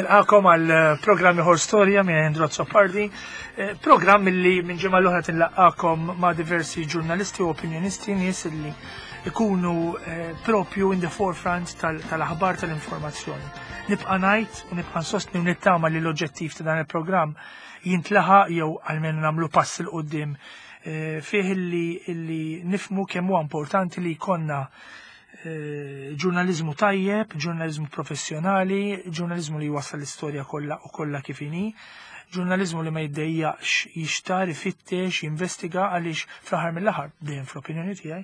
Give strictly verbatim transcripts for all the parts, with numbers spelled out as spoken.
Nilqakom għal programm ieħor storja minn Andrew Azzopardi, eh, programm li minn ġimgħa l-oħra tinlaqakom ma' diversi ġurnalisti u opinjonisti, nies li ikunu eh, propju in the forefront tal-aħbar tal-informazzjoni. Nibqa' ngħid u nibqa' nsostni u nittama li l-oġġettiv ta' dan il-programm jintlaħaq jew almenu nagħmlu pass 'il quddiem eh, fih illi nifmu kemm huwa importanti li jkollna ġurnaliżmu tajjeb, ġurnaliżmu professjonali, ġurnaliżmu li jwassal l-istorja kollha u kollha kif inhi, ġurnaliżmu li ma jiddejjaqx jixtar, ifittex, jinvestiga għaliex fl-aħħar mill-aħħar, dejjem fl-opinjoni tiegħi,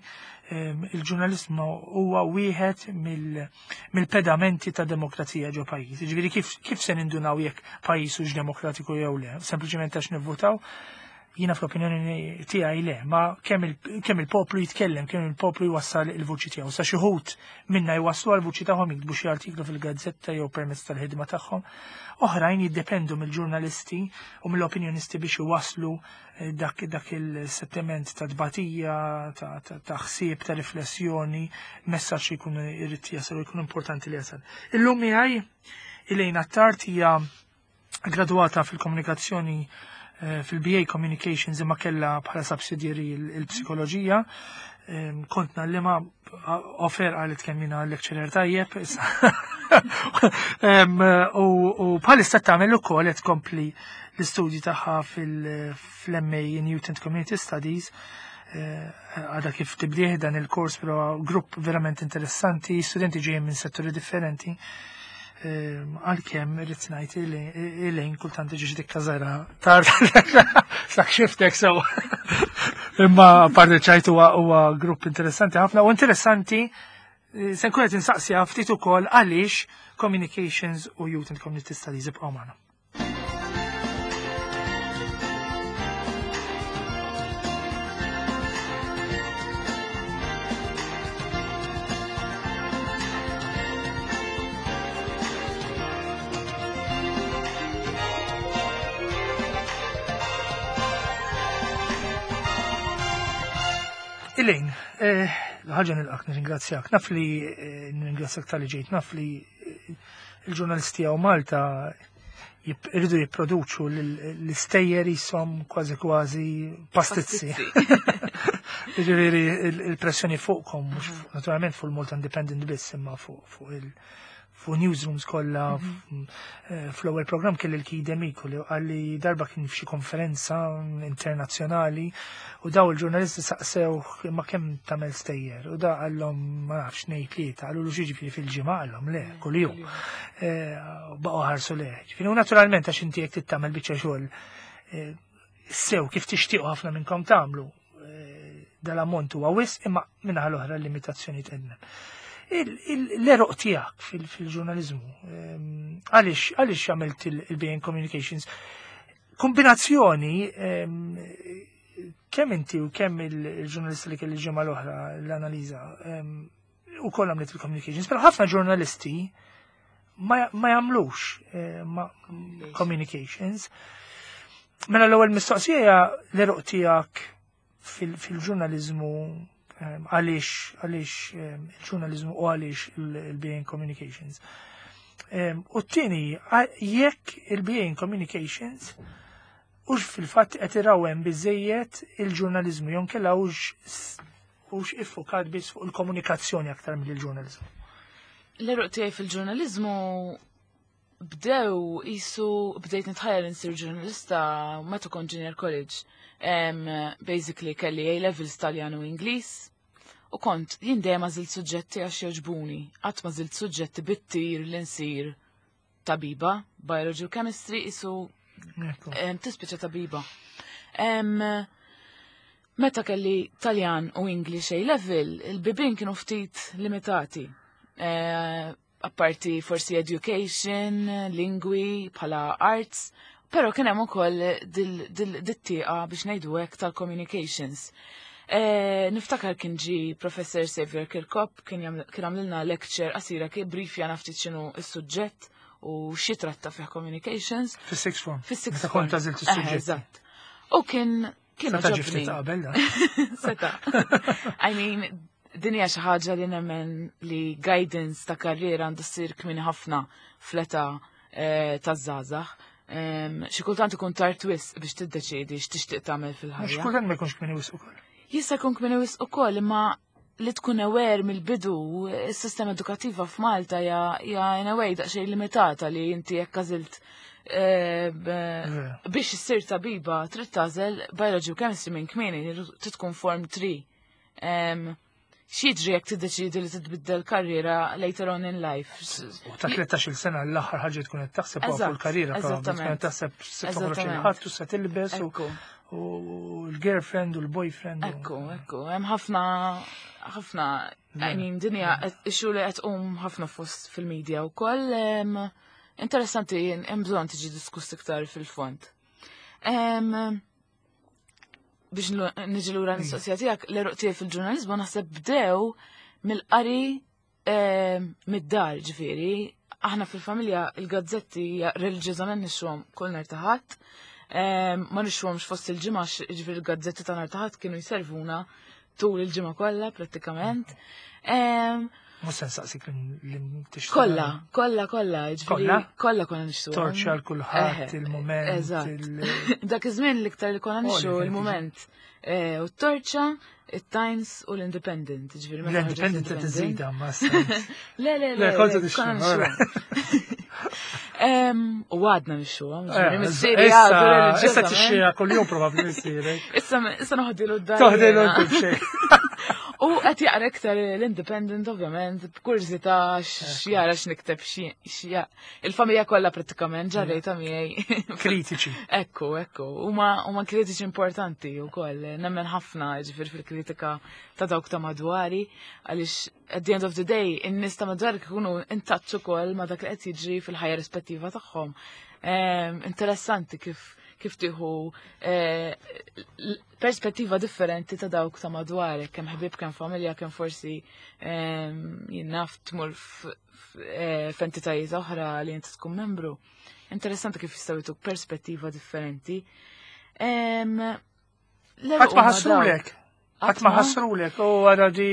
il-ġurnaliżmu huwa wieħed mill-pedamenti ta' demokrazija ġo pajjiż. Jiġifieri kif, kif se nindunaw jekk pajjiż hux demokratiku jew le, sempliċement għax nivvutaw? Jiena fl-opinjoni tiegħi le, ma kemm il-poplu jitkellem, kemm il-poplu jwassal il-vuċi tiegħu. Sa xi wħud minna jwasslu għall-vuċi tagħhom jiktbu xi artiklu fil-gazzetta jew permezz tal-ħidma tagħhom. Oħrajn jiddependu mill-ġurnalisti u mill-opinjonisti biex iwasslu dak, dak il-sentiment ta' tbatija, ta', ta, ta' ħsieb, ta' riflessjoni, messaġġ li jkun irid jasal u jkun importanti li jasal. Illum miegħi Elaine Attard hija graduata fil-komunikazzjoni fil-B A Communications imma kellha bħala subsidiary il-psikoloġija. Kont nallima offer għalet kemm jiena lecturer tajjeb. U bħalissa tagħmel ukoll qed tkompli l-istudji tagħha fil-M A in Youth and Community Studies. Għadha kif tibdih dan il-kors, però grupp verament interessanti, studenti ġejjin minn setturi differenti. Għalkemm irrid ngħid Elaine kultant tiġi xi dikka żgħira tard sak xiftek sew. Imma parti ċajt huwa huwa grupp interessanti ħafna u interessanti se nkun qed insaqsiha ftit ukoll għaliex Communications u Youth and Community Studies ibqgħu magħna. Elaine, ħaġa nilqak, nirringrazzjak. Naf li nirringrazzjak tal-li ġejt, naf li il-ġurnalisti għaw Malta irridu jipproduċu l-istejjer jisom kważi kważi pastizzi. Jiġifieri il-pressjoni fuqkom, mhux naturalment fuq il-Malta Independent biss, imma fuq il- fuq newsrooms kollha. Fl-ewwel programm kelli l-Kide Miku li qalli darba kien f'xi konferenza internazzjonali u daw il-ġurnalisti saqsew ma kemm tagħmel stejjer u da qallhom ma nafx ngħid tlieta, qalulu xi ġifieri fil-ġimgħa, qallhom le kuljum. Baqgħu ħarsu le. Ġifieri u naturalment għax inti jekk tagħmel biċċa xogħol sew kif tixtiequ ħafna minnkom tagħmlu dal-ammont huwa wisq, imma minnaħa l-oħra l-limitazzjoni tqednem. L-eroq tiegħek fil-ġurnaliżmu, għaliex għaliex għamilt il-B A in Communications? Kombinazzjoni kemm inti u kemm il-ġurnalisti li kelli ġimgħa l-oħra l-analiża u koll għamlet il-communications, però ħafna ġurnalisti ma jagħmlux communications. Mela l-ewwel mistoqsija l-eroq tiegħek fil-ġurnaliżmu, għaliex għaliex il-ġurnaliżmu u għaliex il-B A in Communications. U t-tieni, jekk il-B A in Communications hux fil-fatt qed irawhem biżejjed il-ġurnaliżmu jew inkella hux hux iffukat biss fuq il-komunikazzjoni aktar mill-ġurnaliżmu. L-eruq tiegħi fil-ġurnaliżmu bdew isu bdejt nitħajjar insir ġurnalista meta kont junior college. Um, basically kelli A levels Taljan u Ingliż u kont jien dejjem għażilt suġġetti għax jogħġbuni. Qatt ma żilt suġġetti bit-tir li nsir tabiba, biology u chemistry isu tispiċċa tabiba. Um, meta kelli Taljan u English A level, il-bibien kienu ftit limitati. Uh, apparti forsi education, lingwi, bħala arts, pero kien hemm ukoll dit-tieqa biex ngħidu hekk tal-communications. Niftakar kien ġi Professor Xavier Kirkop, kien għamlilna lecture qasira kien briefja naftit x'inhu s-suġġett u xi tratta fih communications. Fis-sixth form. Fis-sixth Meta kont form. għażilt is-suġġett. Eżatt. U kien kien Seta' ġi għoġobni. ftit qabel da. Seta'. I mean, din hija xi ħaġa li nemmen li guidance ta' karriera għandu ssir kmieni ħafna fl-età eh, taż-żgħażagħ. Xi kultant ikun tard wisq biex tiddeċiedi x'tixtieq tagħmel Mhux fil-ħajja. kultant ma jkunx kmieni wisq ukoll. Jista' jkun kmieni wisq ukoll, imma li tkun aware mill-bidu, is-sistema edukattiva f'Malta hija hija in a way daqsxejn limitata li inti jekk għażilt eh, b- biex issir tabiba trid tagħżel biology u chemistry minn kmieni, trid tkun form three. Em, X'jiġri jekk tiddeċidi li titbiddel karriera later on in life? U ta' tlettax-il sena l-aħħar ħaġa tkun qed taħseb huwa fuq Eżatt, il-karriera, probably tkun qed eżattament. taħseb se toħroġ Eżattament. il-ħadd u se tilbes u Ekku. u l-girlfriend u l-boyfriend. u- Ekku, ekku, hemm ħafna ħafna, I mean, dinja issue li qed tqum ħafna fost fil-medja wkoll. em, Interessanti, hemm bżonn tiġi diskuss iktar fil-fond. Em, Biex nlu- niġi lura l-mistoqsija tiegħek, l-għeruq tiegħi fil-ġurnaliżmu naħseb bdew mill-qari em, mid-dar, ġifieri. Aħna fil-familja il-gazzetti reliġjożament nixtruhom kull nhar ta' Ħadd. Em, Ma nixtruhomx fost il-ġimgħa, ġifieri il-gazzetti ta' nhar ta' Ħadd kienu jservuna tul il-ġimgħa kollha prattikament. Em, Mhux se nsaqsik li tixtri. Kollha, kollha, kollha, ġifieri Kollha? Kollha konna nixtruhom. Torċa l kulħadd, Eħe, il-moment. Eżatt. il- Dak iż-żmien l-iktar li konna Oh, li nixtru kienet il-Mument. Eh, U t-Torċa, il-Times u l-Independent. Ġifieri meta ħarġet L-Independent qed iżida ma Le, le, le. Le, kont le, tixtru, konna ora. nixtruhom. Em, U għadna nixtruhom, ġifieri Eh, missieri Issa għadu issa reliġjożament. tixtriha kuljum probabbli missierek. Issa issa noħdilu d-dar. Toħdilu jiena. inti b'xejn. U qed jaqra iktar l-Independent ovvjament, b'kurżità x'jara x'nikteb xi il-familja kollha prattikament ġarrejta miegħi. Kritiċi. Ekku, ekku, huma huma kritiċi importanti wkoll. Nemmen ħafna ġifier fil-kritika ta' dawk ta' madwari, għaliex at the end of the day in-nies ta' madwari ikunu in touch ukoll ma' dak li qed jiġri fil-ħajja rispettiva tagħhom. Em, Interessanti kif kif tieħu eh, l- perspettiva differenti ta' dawk ta' madwarek, kemm ħbieb, kemm familja, kemm forsi em, jien naf tmur f- f- eh, f'entitajiet oħra li inti tkun membru. Interessanti kif jistgħu jtuk perspettiva differenti. Em, l-għeruq Ħadd ma huma ħassrulek. dawk. Ħadd ma ħassrulek. U għara di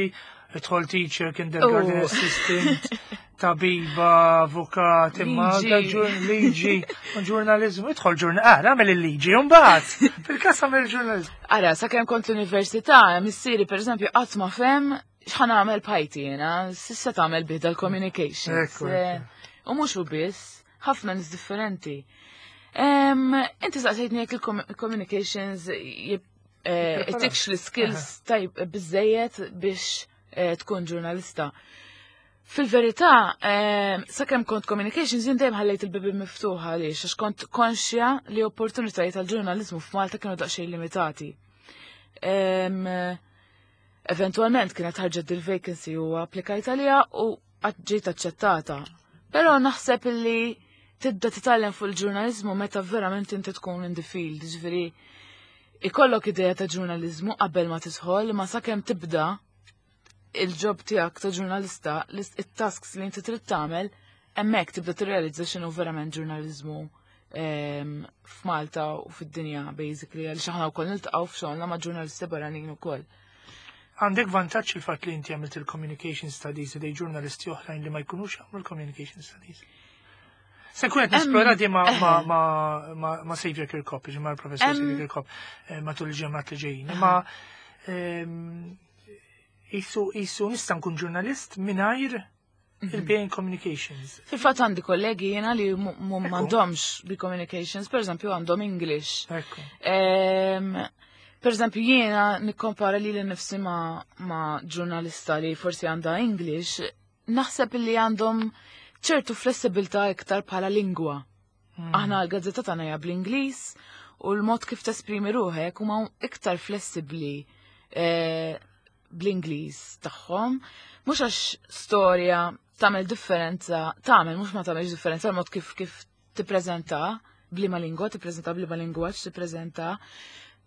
idħol teacher, kindergarten Oh. assistant, tabiba, avukat, imma Liġi. da ġur- liġi, u ġurnalizmu, idħol ġurnalizmu, ah, għamel il-liġi, mbagħad fil-każ għamel il-ġurnalizmu. Ara, sakemm kont l-università, missieri per eżempju qatt ma fehem x'ħa nagħmel b'ħajti jiena, s'issa tagħmel bih dal-communications. Ekku, ekku. Eh, U mhux u biss, ħafna nies differenti. Em, Inti saqsejtni jekk il-communications jib- eh, ittikx l-skills tajb biżejjed biex eh, tkun ġurnalista. Fil-verità, eh, sakemm kont communications jien dejjem ħallejt il-bibi miftuħa għaliex għax kont konxja li opportunitajiet tal-ġurnalizmu f'Malta kienu daqsxejn limitati. Em, Eventualment kienet ħarġet dil-vacancy u applikajt għalija u ġejt aċċettata. Però naħseb illi tibda titgħallem fuq il-ġurnalizmu meta verament inti tkun in the field, ġifieri ikollok idea ta' ġurnalizmu qabel ma tidħol, ma sakemm tibda il-job tiegħek ta' ġurnalista, it-tasks li inti trid tagħmel, hemmhekk tibda tirrealizza x'inhu verament ġurnalizmu em, f'Malta u fid-dinja basically, għaliex aħna wkoll niltaqgħu f'xogħolna ma' ġurnalisti barranin ukoll. Għandek vantaġġ il-fatt li inti għamilt il-communication studies dej ġurnalisti oħrajn li ma jkunux għamlu l-communication studies. Se nkun qed nesplora di ma' ma' ma' ma' ma' Xavier Kirkop, ġi ma' l-professor Em. Xavier Kirkop, eh, matul il-ġimgħat li ġejjin. Ma ehm, isu isu nista' nkun ġurnalist mingħajr il-B A in Communications. Fil-fatt għandi kollegi jiena li mu- mu- m'għandhomx bi communications, per eżempju għandhom English. Ekku. Em, Per eżempju, jiena nikkompara li l-nifsi ma, ma ġurnalista li forsi għandha English, naħseb li għandhom ċertu flessibilità iktar bħala lingwa. Aħna l-gazzetta tagħna hija bl-Ingliż u l-mod kif tesprimi ruħek huma iktar flessibbli eh, bl-Ingliż tagħhom. Mhux għax storja tagħmel differenza, tagħmel mhux ma tagħmelx differenza l-mod kif kif tippreżenta b'liema lingwa, tippreżenta b'liema lingwaġġ tippreżenta.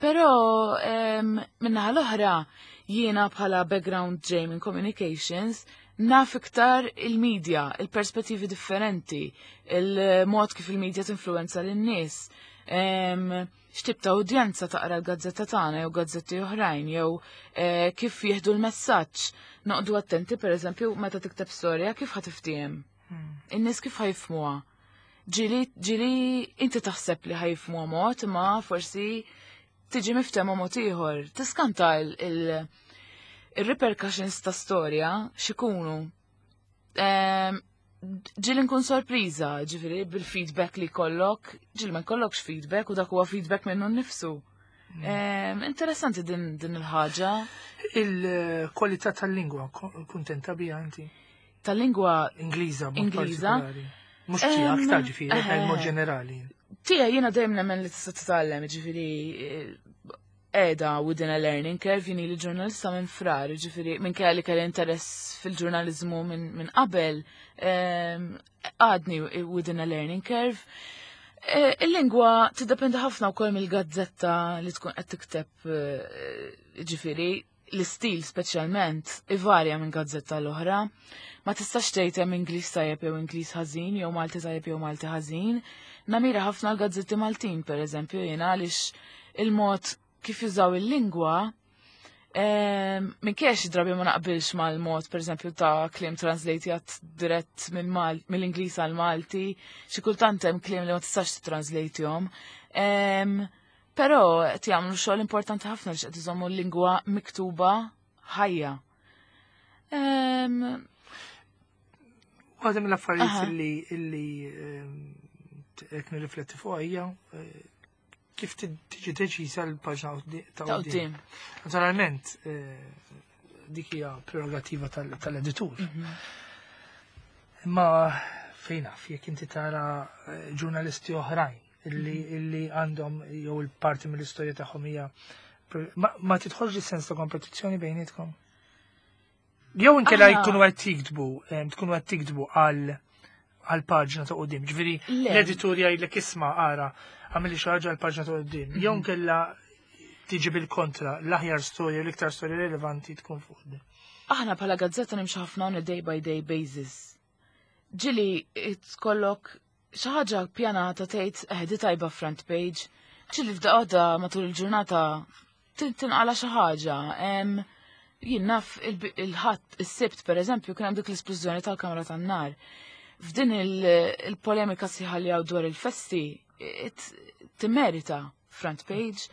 Però em, min-naħa l-oħra jiena bħala background ġej minn communications naf iktar il-media, il-perspettivi differenti, il-mod kif il-media tinfluenza lin-nies. Em, X'tip ta' udjenza taqra l-gazzetta tagħna jew gazzetti oħrajn jew eh, kif jieħdu l-messaġġ. Noqogħdu attenti pereżempju meta tikteb storja kif ħa tiftiehem. In-nies kif ħa jifhmuha. Ġieli ġieli inti taħseb li ħa jifhmu mod, ma forsi tiġi miftehma mod ieħor. Tiskanta il- il- il-repercussions ta' storja x'ikunu. Em, Ġieli nkun sorpriża, ġifieri bil-feedback li kollok, ġieli ma jkollokx feedback u dak huwa feedback minnu nnifsu. Em, Interessanti din, din il-ħaġa. Il-kwalità tal-lingwa, kuntenta bija inti? Tal-lingwa Ingliża, b'mod Ingliża. partikolari. Mhux tiegħek ta' ġifieri, eh. mod ġenerali. Tija jiena dejjem nemmen li tista' titgħallem, ġifieri qiegħda within a learning curve, jien li ġurnalista minn frar, ġifieri minn kelli kelli interess fil-ġurnalizmu minn min qabel, em, għadni within a learning curve. Eh, Il-lingwa tiddependi ħafna wkoll mill-gazzetta li tkun qed tikteb, eh, ġifieri l-istil speċjalment ivarja minn gazzetta l-oħra. Ma tistax tgħid hemm Ingliż tajjeb jew Ingliż ħażin jew Malti tajjeb jew Malti ħażin. Namira ħafna l-gazzetti Maltin, per eżempju, jiena għaliex il-mod kif jużaw il-lingwa minn xi drabi ma naqbilx mal-mod, per eżempju, ta' kliem translate dirett minn Mal- mill-Ingliż għal Malti, xi kultant hemm kliem li ma tistax translate-jhom. Però qed jagħmlu xogħol importanti ħafna biex qed iżommu l-lingwa miktuba ħajja. Em, Waħda mill-affarijiet Aha. illi illi ehm, qed nirrifletti fuq hija eh, kif tiġi deċiża l-paġna ta' Ta' quddiem. quddiem. Naturalment, eh, dik hija prerogativa tal- tal-editur. Imma fejn naf, jekk inti tara eh, ġurnalisti oħrajn illi illi għandhom jew il-parti mill-istorja tagħhom hija ma, ma tidħolx sens ta' kompetizzjoni bejnietkom? Jew inkella Aħna- jkunu qed tiktbu, em, tkunu qed tiktbu għal għal paġna ta' quddiem. Ġifieri Le. l-editur jgħidlek isma' ara għamilli xi ħaġa għal paġna ta' quddiem. Jew inkella tiġi bil-kontra l-aħjar storja, l-iktar storja rilevanti tkun fuq quddiem. Aħna bħala gazzetta nimxu ħafna on a day by day basis. Ġieli tkollok xi ħaġa pjanata tgħid eh di tajba front page. Ġieli f'daqqa matul il-ġurnata tin- tinqala xi ħaġa. Em, Jien naf il- il-ħadd is-Sibt pereżempju kien hemm dik l-isplużjoni tal-kamra tan-nar. F'din il- il-polemika sħiħa li hawn dwar il-festi, it- timmerita front page.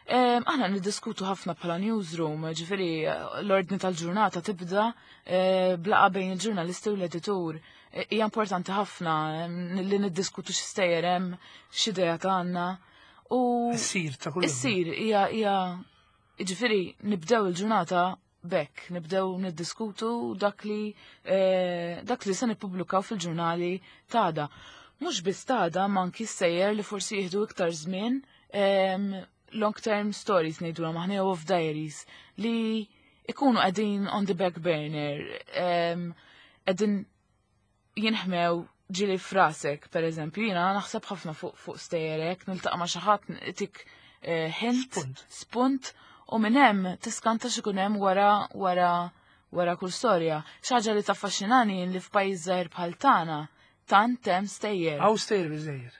Em, Aħna niddiskutu ħafna bħala newsroom, ġifieri l-ordni tal-ġurnata tibda eh, b'laqgħa bejn il-ġurnalisti u l-editur. Eh, Hija importanti ħafna em, li niddiskutu x'stejjer hemm, x'idea għandna. U Issir ta' kull. issir hija hija ġifieri nibdew il-ġurnata bekk, nibdew niddiskutu dak li eh, dak li se nippubblikaw fil-ġurnali t'għada. Mhux biss t'għada, ma anki stejjer li forsi jieħdu iktar żmien em, long term stories ngħidulhom aħna jew off diaries li ikunu qegħdin on the back burner, em, qegħdin jinħmew ġieli f'rasek, per eżempju, jiena naħseb ħafna fuq fuq stejjerek, niltaqa' ma' xi ħadd tik eh, hint, Spunt. spunt, u minn hemm tiskanta x'ikun hemm wara wara wara kull storja. Xi ħaġa li taffaxxinani li f'pajjiż żgħir bħal tagħna tant hemm stejjer. Hawn stejjer biżejjed.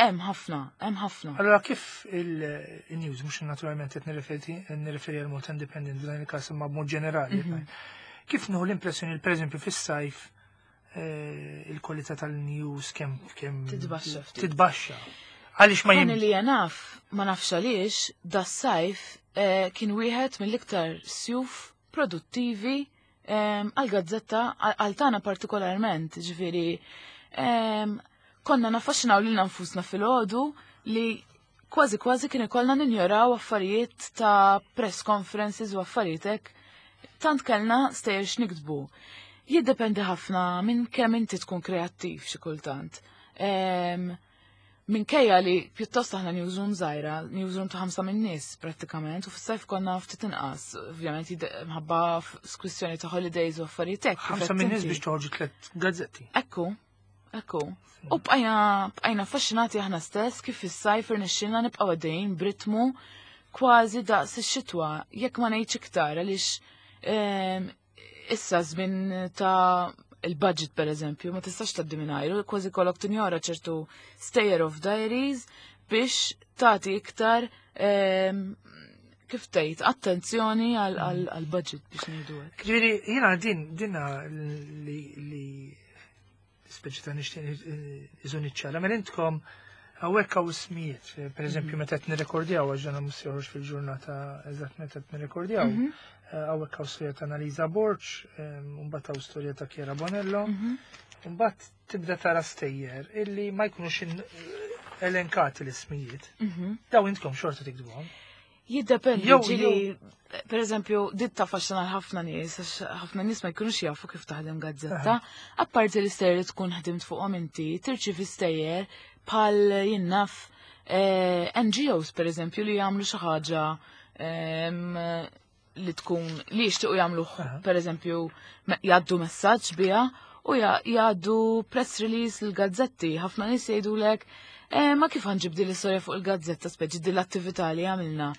Hemm ħafna, hemm ħafna. Allora kif il-news, mhux naturalment qed nirreferi nirreferi għal Malta Independent f'dan il-każ imma b'mod ġenerali. Kif nieħu l-impressjoni li pereżempju fis-sajf eh, il-kwalità tal-news kemm kemm Titbaxxa ftit. Titbaxxa. Għaliex ma Jien jim li naf, ma nafx għaliex, das-sajf eh, kien wieħed mill-iktar sjuf produttivi em, għal-gazzetta, għal tagħna partikolarment, ġifieri em, konna naffaxxinaw lilna nfusna filgħodu li kważi kważi kien ikollna ninjoraw affarijiet ta' press conferences u affarijiet hekk, tant kellna stejjer x'niktbu. Jiddependi ħafna minn kemm inti tkun kreattiv xi kultant. Em, Minkejja li pjuttost aħna newsroom żgħira, newsroom ta' ħamsa minn nies prattikament, u fis-sajf konna ftit inqas, ovvjament jide- mħabba kwistjoni ta' holidays u affarijiet hekk. kif ħamsa qed minn nies inti. biex toħorġu tliet gazzetti. Ekku, ekku. U bqajna bqajna affaxxinati aħna stess kif fis-sajf irnexxilna nibqgħu għaddejjin b'ritmu kważi daqs ix-xitwa, jekk ma ngħidx iktar għaliex em, issa żmien ta' il-budget per eżempju, ma tistax tgħaddi mingħajru, kważi kollok tinjora ċertu stejjer off diaries biex tagħti iktar em, kif tgħid attenzjoni għal budget biex ngħidu hekk. Ġifieri jiena din dinna li li Speċi ta' nixtieq iżun iċċara. Mela intkom hawnhekk hawn ismijiet, per eżempju meta qed nirrekordjaw, għax dan mhux joħroġ fil-ġurnata eżatt meta qed nirrekordjaw. Mhm. Hawnhekk hawn storja ta' Annalisa Borg, u mbagħad hawn storja ta' Chiara Bonello. Mbagħad tibda tara stejjer illi ma jkunux in- elenkati l-ismijiet. Mhm. Daw intkom xorta tiktbuhom. Jiddependi, Jew- ġieli, per eżempju, dit taffaxxina ħafna nies, għax ħafna nies ma jkunux jafu kif taħdem gazzetta. Apparti l-istejjer li tkun ħdimt fuqhom inti, tirċivi stejjer bħal jien naf eh, N G Os per eżempju li jagħmlu xi ħaġa em, li tkun li jixtiequ jagħmlu, per eżempju me- jgħaddu messaġġ biha u ja- jgħaddu press release l-gazzetti. Ħafna nies jgħidulek, eh, ma kif ħa nġib din l-istorja fuq il-gazzetta, speċi din l-attività li għamilna?"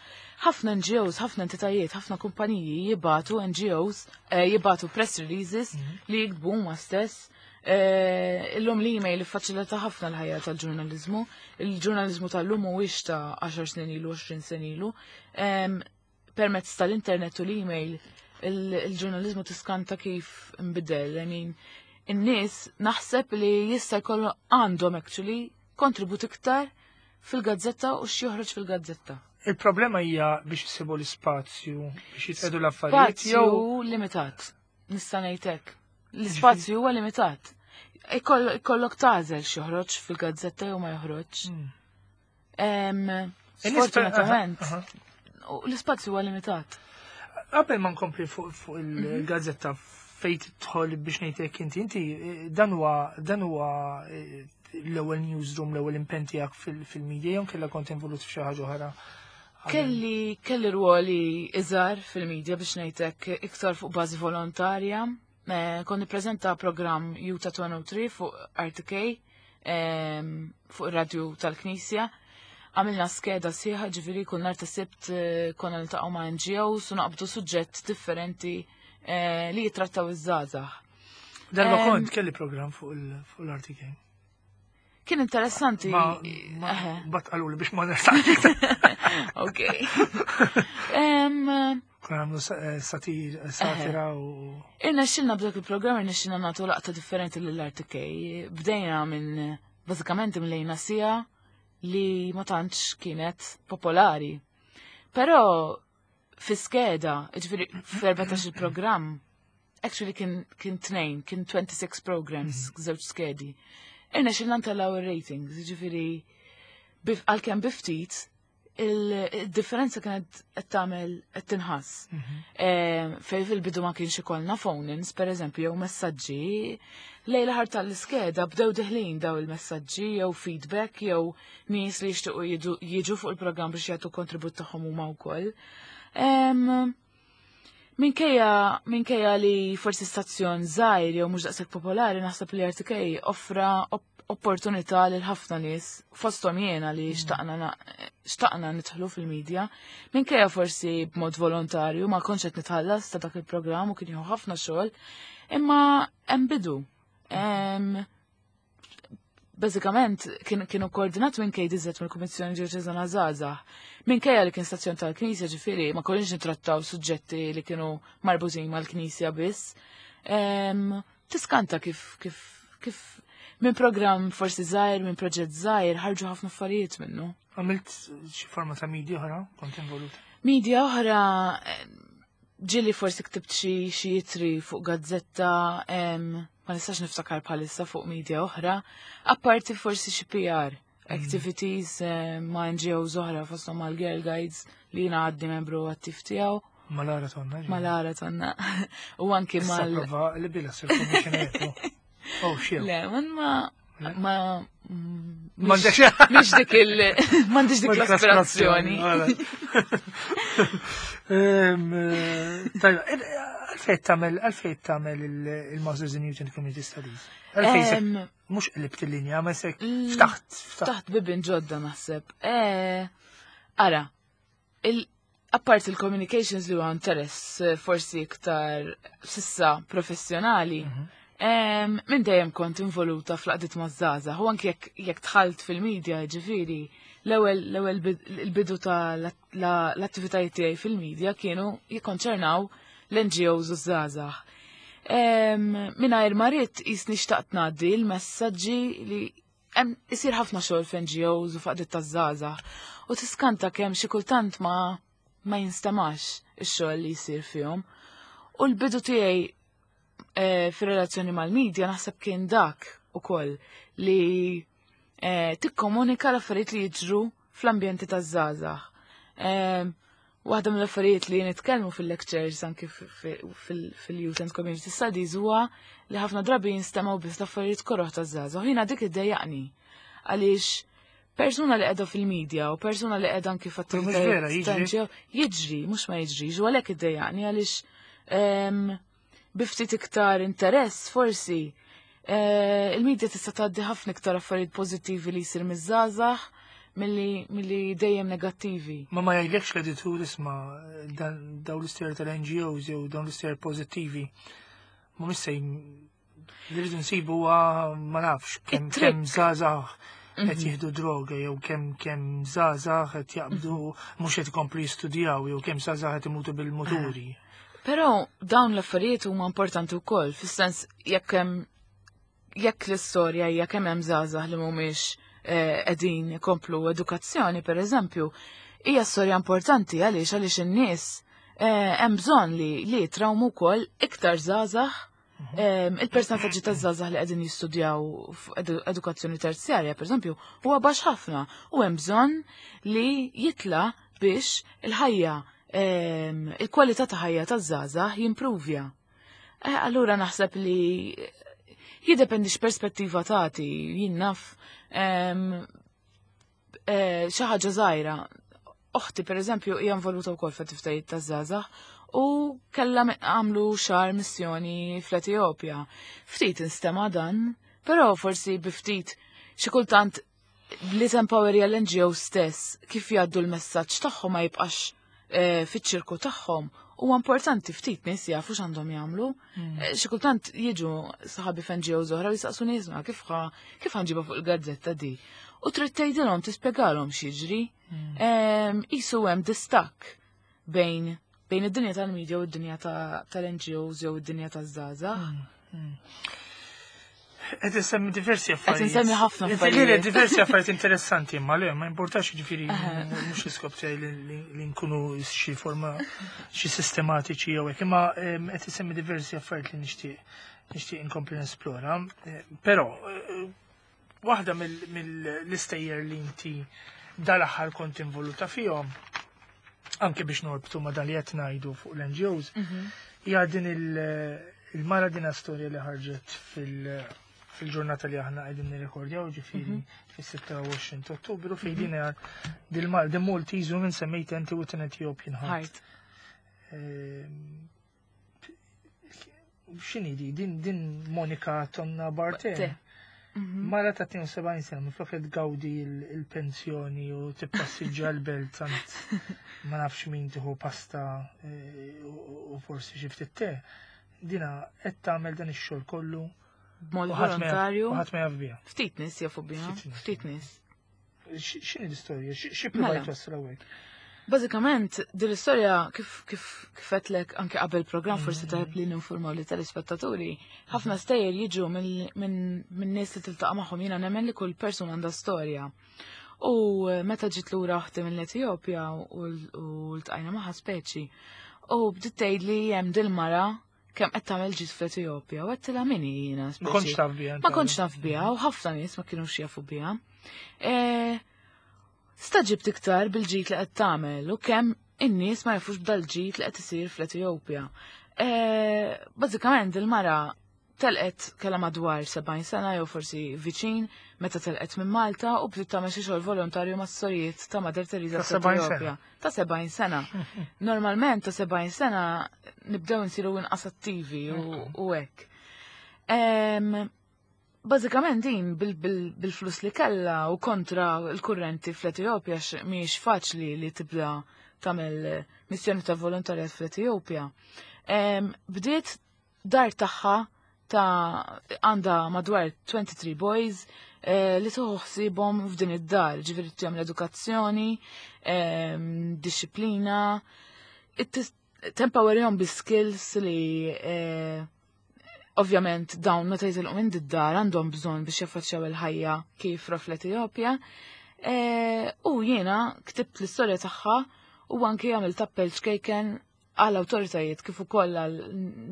Ħafna N G Os, ħafna entitajiet, ħafna kumpaniji jibagħtu N G Os, eh, jibagħtu press releases li jiktbu huma stess. Eh, Illum l-email faċilita ħafna l-ħajja tal-ġurnalizmu. Il-ġurnalizmu tal-lum mhuwiex ta' għaxar snin ilu, għoxrin sen ilu. Em, Permezz tal-internet u l-email, il- il-ġurnalizmu tiskanta kif imbidel. I mean, in-nies naħseb li jista' jkollu għandhom actually kontribut iktar fil-gazzetta u x'joħroġ fil-gazzetta. Il-problema hija biex isibu l-ispazju, biex jitqedu l-affarijiet jew Spazju limitat, nista' ngħidlek. L-ispazju huwa limitat. Ikoll- Ikollok tagħżel x'joħroġ fil-gazzetta jew ma joħroġ. Mm. Em, In-nies per- Sfortunatament, aha, aha. u l-ispazju huwa limitat. Qabel ma nkompli fuq fuq il-gazzetta fejn tidħol biex ngħidlek inti, inti eh, dan huwa dan huwa eh, l-ewwel newsroom, l-ewwel impenn tiegħek fil-media jew kellha kont involut f'xi ħaġa oħra? Kelli kelli ruoli iżgħar fil-medja, biex ngħidlek, iktar fuq bażi volontarja. Eh, Kont nippreżenta programm Juta tlieta u tnejn fuq R T K, em, fuq ir-radju tal-Knisja. Għamilna skeda sħiħa, ġifieri kull nhar ta' Sibt eh, konna niltaqgħu ma' N G Os u naqbdu suġġett differenti eh, li jitrattaw iż-żgħażagħ. Darba Em, kont kelli program fuq il- fuq l-R T K. Kien interessanti. Ma, ma Eħe, bat qaluli biex ma nersax. Ok. Em, Konna għamlu sa- eh, satir, satira u. Irnexxilna b'dak il-programm, irnexxilna nagħtu laqta differenti lill-R T K. Bdejna minn, bażikament mlejna siegħa li ma tantx kienet popolari. Però fi skeda, ġifieri f'erbatax il-programm, actually kien kien tnejn, kien tnejn u disgħin programs, żewġ skedi. Irnexxilna ntellgħu ir-ratings, ġifieri bif- għalkemm bi ftit, il-differenza kienet qed tagħmel qed tinħass. Eh, Fej fil-bidu ma kienx ikollna phone-ins, per eżempju, jew messaġġi, lejn l-aħħar tal-iskeda bdew deħlin daw il-messaġġi jew feedback jew nies li jixtiequ jiġu- jiġu fuq il-programm biex jagħtu kontribut tagħhom huma wkoll. Em, Minkejja minkejja li forsi stazzjon żgħir jew mhux daqshekk popolari, naħseb li R T K offra op opportunità lil ħafna nies, fosthom jiena li xtaqna na- xtaqna nidħlu fil-medja. Minkejja forsi b'mod volontarju, ma kontx qed nitħallas ta' dak il-programm u kien jieħu ħafna xogħol, imma hemm bidu. Em, Bażikament kien kienu koordinat minn K D Z, mill-Kummissjoni Djoċeżana Żgħażagħ. Minkejja li kien stazzjon tal-Knisja, ġifieri ma konniex nitrattaw suġġetti li kienu marbutin mal-Knisja biss. Em, Tiskanta kif kif kif minn programm forsi żgħir, minn proġett żgħir, ħarġu ħafna affarijiet minnu. Għamilt xi forma ta' media oħra, kont involut? Media oħra, eh, ġieli forsi ktibt xi xi ittri fuq gazzetta, em, ma nistax niftakar bħalissa fuq media oħra, apparti forsi xi P R activities eh, ma' N G Os oħra, fosthom mal Girl Guides li jiena għadni membru attiv tiegħu. Malara tonna. Ġieli. Malara tonna. U anki Issa mal prova li bila sir commissioner. Oh, xiew. Le, man ma ma M'għandekx- mhix dik il m'għandix dik l-aspirazzjoni. Tajba, għalfejn tagħmel għalfejn tagħmel il-Masters in Youth and Community Studies? Għalfejn Em, mhux qlibt il-linja, ma sek Mm, ftaħt, ftaħt. Ftaħt bibien ġodda naħseb. Eh, Ara, il apart il-communications li huwa interess eh, forsi iktar sissa professjonali, em, minn dejjem kont involuta fl-għaqdiet maż-żgħażagħ, u anke jekk jekk dħalt fil-medja, ġifieri, l-ewwel l-ewwel bid- il-bidu ta' l-attivitajiet tiegħi fil-medja kienu jikkonċernaw l-N G Os u żgħażagħ. Mingħajr ma ridt jisni xtaqt ngħaddi l-messaġġi li hemm isir ħafna xogħol f'N G Os u f'għaqdiet taż-żgħażagħ. U tiskanta kemm xi kultant ma ma jinstemax ix-xogħol li jsir fihom. U l-bidu tiegħi eh, fir-relazzjoni mal-medja naħseb kien dak ukoll li eh, tikkomunika l-affarijiet li jiġru fl-ambjenti taż-żgħażagħ. Eh, Waħda mill-affarijiet li nitkellmu fil-lectures anki fil-Youth and Community Studies huwa li ħafna drabi jinstemgħu biss l-affarijiet koroħ taż-żgħażagħ. Jiena dik iddejjaqni għaliex persuna li qiegħda fil-medja u persuna li qiegħda anki f'attivitajiet jiġri, mhux ma jiġrix, u għalhekk iddejjaqni għaliex bi ftit iktar interess forsi eh, il-medja tista' tgħaddi ħafna iktar affarijiet pożittivi li jsir miż-żgħażagħ milli dejjem negattivi. Ma ma jgħidlekx l-editur, isma', dawn l-istejjer tal-N G Os jew dawn l-istejjer pożittivi ma missej li rridu nsibu ma nafx kemm kemm żgħażagħ qed mhm. jieħdu droga jew kemm kemm żgħażagħ qed jaqbdu mhux qed ikomplu jistudjaw jew kemm żgħażagħ qed imutu bil-muturi. Però dawn l-affarijiet huma importanti wkoll, fis-sens jekk hemm jekk l-istorja hija kemm hemm żgħażagħ li mhumiex eh, qegħdin ikomplu edukazzjoni, per eżempju, hija storja importanti għaliex għaliex in-nies eh, hemm bżonn li li jitrawmu wkoll iktar żgħażagħ. Il-persentaġġi ta' żgħażagħ li qegħdin jistudjaw edukazzjoni terzjarja, per eżempju, huwa baxx ħafna u hemm bżonn li jitla biex il-ħajja, il-kwalità ta' ħajja taż-żgħażagħ jimpruvja. Eh, allura naħseb li jiddependi x'perspettiva tagħti, jien naf eh, xi ħaġa żgħira. Oħti, per eżempju, hija involuta wkoll f'attivitajiet taż-żgħażagħ u kellha għamlu xahar missjoni fl-Etjopja. Ftit instema dan, però forsi bi ftit xi kultant li tempowerja l-N G O stess kif jgħaddu l-messaġġ tagħhom ma jibqax eh, fiċ-ċirku tagħhom. Huwa importanti ftit nies jafu x'għandhom jagħmlu. Eh, Xi kultant jiġu saħabi f'N G Os oħra u jistaqsu nies kif ħa kif ħa nġibha fuq il-gazzetta di. U trid tgħidilhom, tispjegalhom x'jiġri. Em, Isu hemm distakk bejn bejn id-dinja tal-medja u d-dinja ta- tal-N G Os jew id-dinja taż-żgħażagħ. Qed insemmi diversi affarijiet. Insemmi ħafna Li- affarijiet. Li diversi affarijiet interessanti, imma le, ma importax, ġifieri mhux l-iskop tiegħi li- li li nkunu xi forma xi sistematiċi jew hekk, imma em, qed insemmi diversi affarijiet li nixtieq nixtieq inkompli nesplora. Eh, Però eh, waħda mill-istejjer li inti dal-aħħar kont involuta fihom, anke biex norbtu ma dan li qed ngħidu fuq l-N G Os, hija din il- il-mara, din storja li ħarġet fil- fil-ġurnata li aħna qegħdin nirrekordjaw, ġifieri fis-sitta u għoxrin ta' Ottubru, fejn din hija dil-mar the Maltese woman semmejt inti with an Ethiopian heart. Heart. Ehm, X'inhi di? Din din Monica Tonna Barte. Te. Mara ta' tnejn u sebgħin sena, minflok qed tgawdi il- il-pensjoni u tippassiġġa l-belt sant ma nafx min tieħu pasta eh, u u forsi xi ftit te. Dina qed tagħmel dan ix-xogħol kollu B'mod u ħadd ma jaf- volontarju. u ħadd ma jaf biha. Ftit nies jafu biha. Ftit nies. Ftit nies. X- X'inhi l-istorja? X- Xi provajt Mela. twassal hawnhekk? Bażikament, din l-istorja kif kif kif għedtlek anke qabel program, forsi tajb li ninformaw li telespettaturi, ħafna stejjer jiġu minn minn minn nies li tiltaqa' magħhom. Jiena nemmen li kull persuna għandha storja. U eh, meta ġiet lura oħti mill-Etjopja u u ltqajna magħha speċi, u bdiet tgħid li hemm dil-mara kemm qed tagħmel ġid fl-Etjopja u għedtilha min hi jiena Ma speċi. kontx taf biha. Ma kontx naf biha u ħafna nies ma kienux jafu biha. E, Stagħġibt iktar bil-ġid li qed tagħmel u kemm in-nies ma jafux b'dal-ġid li qed isir fl-Etjopja. E, Bażikament il-mara telqet, kellha madwar sebgħin sena jew forsi viċin meta telqet minn Malta u bdiet tagħmel xi xogħol volontarju mas-sorijiet ta' Mother Teresa Ta' sebgħin fl-Etjopja. Ta' sebgħin sena. Normalment ta' sebgħin sena nibdew nsiru inqas attivi u u hekk. Em, Bażikament din bil- bil- bil-flus li kella u kontra l-kurrenti fl-Etjopja, x- mhijiex faċli li tibda tagħmel missjoni ta' volontarjat fl-Etjopja. Em, Bdiet dar tagħha ta' għandha madwar twenty-three boys eh, li tieħu ħsiebhom f'din id-dar, ġifieri tagħmel edukazzjoni, em, disciplina, tempowerjhom bi skills li eh, Ovvjament dawn meta jitilqu minn d-dar għandhom bżonn biex jaffaċċjaw il-ħajja kif fl-Etjopja. E, u jiena ktibt l-istorja tagħha u anki għamilt appell ċkejken għall awtoritajiet kif ukoll għal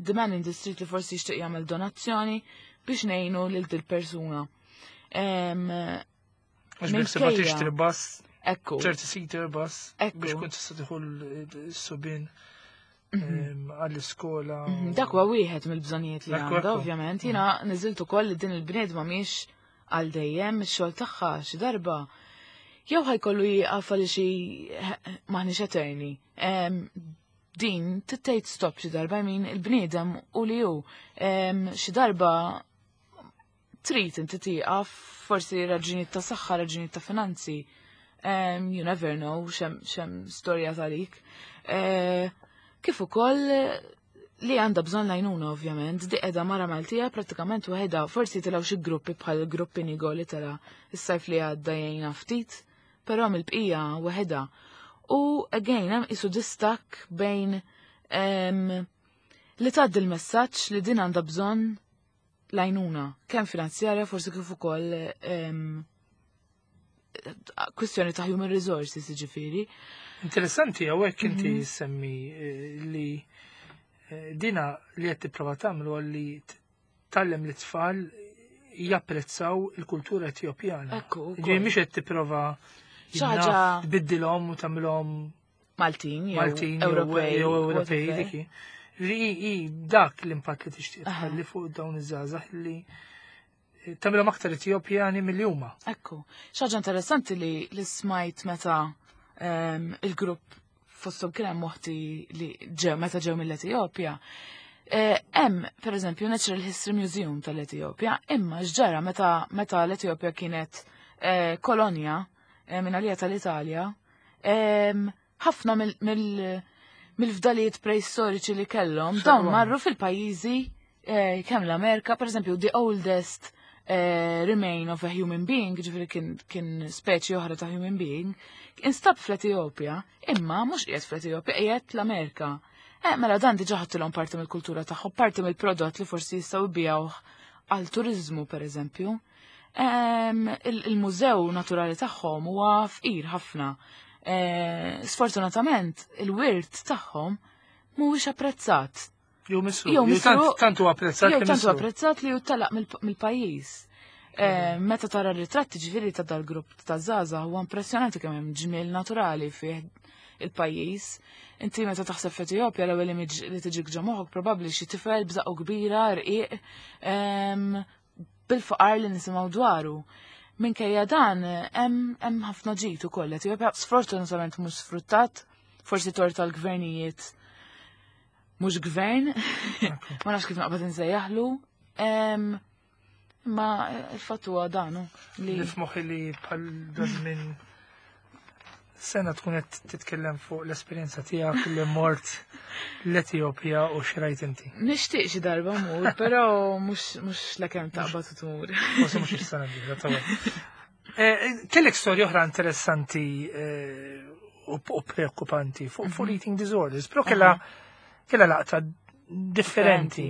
the man in the street li forsi jixtieq jagħmel donazzjoni biex ngħinu lil dil persuna. Għax biex tibqa' tixtri bus, Ekku. thirty seater bus, Ekku. biex kun tista' tieħu s-subien għall-iskola. Mhm, Dak huwa wieħed mill-bżonnijiet li Ekku, għandha, ekku. ovvjament. Jiena niżilt ukoll li din il-bniedma mhix għal dejjem ix-xogħol tagħha xi darba. Jew ħa jkollu jieqaf għal xi maħniex eterni. Em, Din tittejt stop xi darba, I mean il-bniedem u li hu Em, xi darba trid inti tieqaf, forsi raġunijiet ta' saħħa, raġunijiet ta' finanzi. Um, you never know x'hemm x'hemm storja talik. Eh, kif ukoll li għandha bżonn l-għajnuna ovvjament, di qiegħda mara Maltija prattikament waħedha, forsi tilgħu xi gruppi bħal gruppi Nigo li tela is-sajf li għadda jgħinha ftit, però mill-bqija waħedha. U again hemm isu distakk bejn em, li tgħaddi l-messaġġ li din għandha bżonn l-għajnuna, kemm finanzjarja forsi kif ukoll em, kwistjoni ta' human resources ġifieri. Interessanti hawnhekk inti Mhm. semmi eh, li eh, dina li qed tipprova tagħmlu li tgħallem lit-tfal japprezzaw il-kultura Etjopjana. Ekku, ukoll. Ġifieri mhix qed tipprova Xi ħaġa- tbiddilhom u tagħmilhom Maltin, jew Maltin jew Ewropej, jew Ewropej whatever. diki. Ġifieri hi dak l-impatt li tixtieq Aha. tħalli fuq dawn iż-żgħażagħ li tagħmilhom aktar Etjopjani milli huma. Ekku, xi ħaġa interessanti li li smajt meta em, il-grupp fosthom kien hemm moħti li ġew meta ġew mill-Etjopja. Eh, Hemm, per eżempju, Natural History Museum tal-Etjopja, imma x'ġara meta meta l-Etjopja kienet eh, kolonja eh, minn għalija tal-Italja, em, ħafna mill- mill- mill-fdalijiet preistoriċi li kellhom dawn X'għamlu? marru fil-pajjiżi eh, kemm l-Amerika, per eżempju, the oldest eh, remain of a human being, ġifieri kien, kien speċi oħra ta' human being, instab fl-Etjopja, imma mhux qiegħed fl-Etjopja, qiegħed l-Amerika. Eh, mela dan diġà ħadtilhom parti mill-kultura tagħhom, parti mill-prodott li forsi jistgħu jbigħuh għal turizmu per eżempju. Em, il- Il-mużew naturali tagħhom huwa fqir ħafna. Eh, Sfortunatament, il-wirt tagħhom mhuwiex apprezzat. Jew misru. Jew Jew tant- misru- Tant huwa apprezzat Jew li tantu misru. apprezzat li telaq mill-pajjiż. Eh, Meta tara ritratti ġifieri ta' dal-grupp ta' żgħażagħ huwa impressjonanti kemm hemm ġmiel naturali fih il-pajjiż. Inti meta taħseb f'Etjopja l-ewwel image li tiġik ġo moħħok probabbli xi tifel b'żaqqu kbira, rqiq, em, bil-faqar li nisimgħu dwaru. Minkejja dan hemm hemm ħafna ġid ukoll. Etjopja sfortunatament mhux sfruttat, forsi tort tal-gvernijiet mhux gvern, ma nafx kif naqbad insejjaħlu. Em, Imma il-fatt huwa dan hu, li Li f'moħħi li bħal minn sena tkun qed titkellem fuq l-esperjenza tiegħek li mort l-Etjopja u xrajt inti. Nixtieq xi darba mur, però mhux mhux lakemm taqbad u tmur. Forsi mhux is-sena d-dieħla tawel. Eh, Kellek storja oħra interessanti eh, u u preokkupanti fuq fuq eating disorders, però kellha kellha laqta differenti.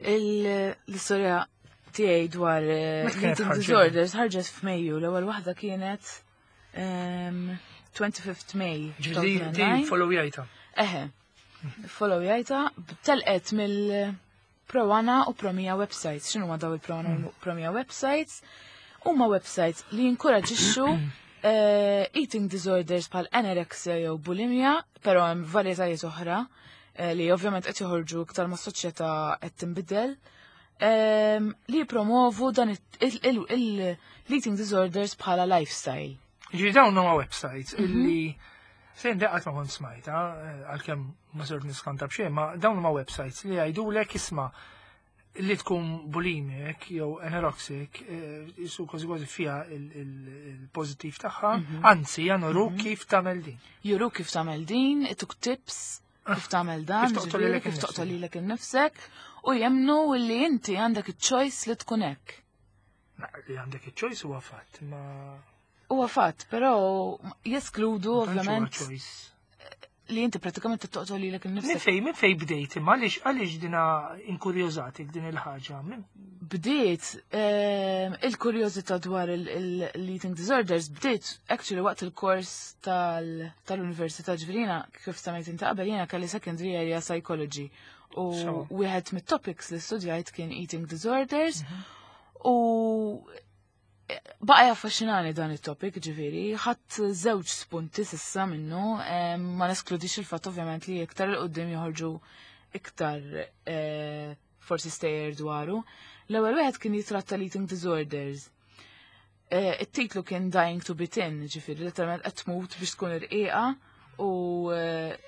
Il- L-istorja tiegħi dwar eh, Meta kienet eating ħarġet? disorders ħarġet f'Mejju, l-ewwel waħda kienet em, twenty-fifth May. Ġifieri di two thousand nine. follow jajta. Eħe, follow jajta, telqet mill Pro-Ana u Promia websites. X'inhu daw il-Pro-Ana u Promia websites? Huma websites li jinkoraġixxu eh, eating disorders bħal anorexia jew bulimia, però hemm varjetajiet oħra eh, li ovvjament qed joħorġu iktar ma' soċjetà qed tinbidel. em, li jipromovu dan il- il- il- l-eating disorders bħala lifestyle. Ġifieri dawn huma websites illi sejn deqqat ma kont smajta, eh, għalkemm ma sort niskanta b'xejn, ma dawn huma websites li jgħidulek isma' li tkun bulimic jew anorexic, eh, jisu kważi kważi fiha il-pożittiv tagħha, anzi januru kif tagħmel din. Juru kif tagħmel din, ituk tips kif tagħmel dan, Kif toqtol ġifieri, lilek kif innifsek. toqtol lilek innifsek u jemnu li inti għandek iċ-choice li tkun hekk. Na, li għandek iċ-choice huwa fatt, ma Huwa fatt, però jeskludu ma tantx huwa ovvjament choice. li inti pratikament toqtol lilek innifsek. Minn fej, minn fej bdejt, imma għaliex għaliex dina inkurjożatik din il-ħaġa? Bdejt, ehm, il-kurjożità dwar l-eating disorders bdejt actually waqt il-kors tal-università ġifieri kif semmejt inti qabel jiena kelli secondary area psychology u wieħed mit-topics li studjajt kien eating disorders mhm. u baqa jaffaxxinani dan it-topic ġifieri, ħadd żewġ spunti s'issa minnu, ma neskludix il-fatt ovvjament li iktar 'il quddiem joħorġu iktar eh, forsi stejjer dwaru. L-ewwel wieħed kien jitratta l-eating disorders. Eh, it-titlu kien Dying to be Thin, ġifieri letteralment qed tmut biex tkun irqiqa u eh,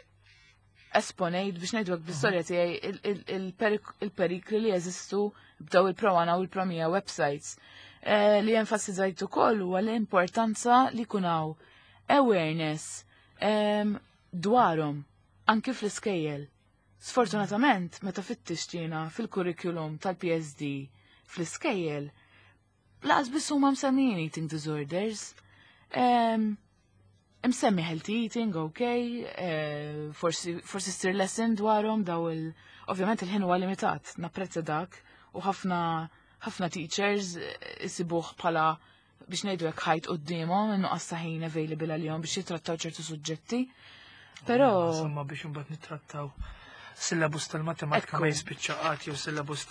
esponejt biex ngħidu bl-istorja tiegħi il-perikli li jeżistu b'daw il-Pro One u il-Pro mija websites. Eh, li enfasizzajt ukoll huwa l-importanza li jkun hawn awareness dwarhom anki fl-iskejjel. Sfortunatament, meta fittixtina fil-kurrikulum tal-P S D fl-iskejjel, lanqas biss huma msemmijin eating disorders. Msemmi healthy eating, ok, eh, forsi forsi ssir lesson dwarhom daw il. Ovvjament il-ħin huwa limitat, napprezza dak, u ħafna ħafna teachers isibuh bħala biex ngħidu hekk ħajt quddiemhom innuqqas ta' ħin available għalihom biex jitrattaw ċertu suġġetti. Però Insomma biex imbagħad nittrattaw syllabus tal-matematika ma jispiċċa qatt jew syllabus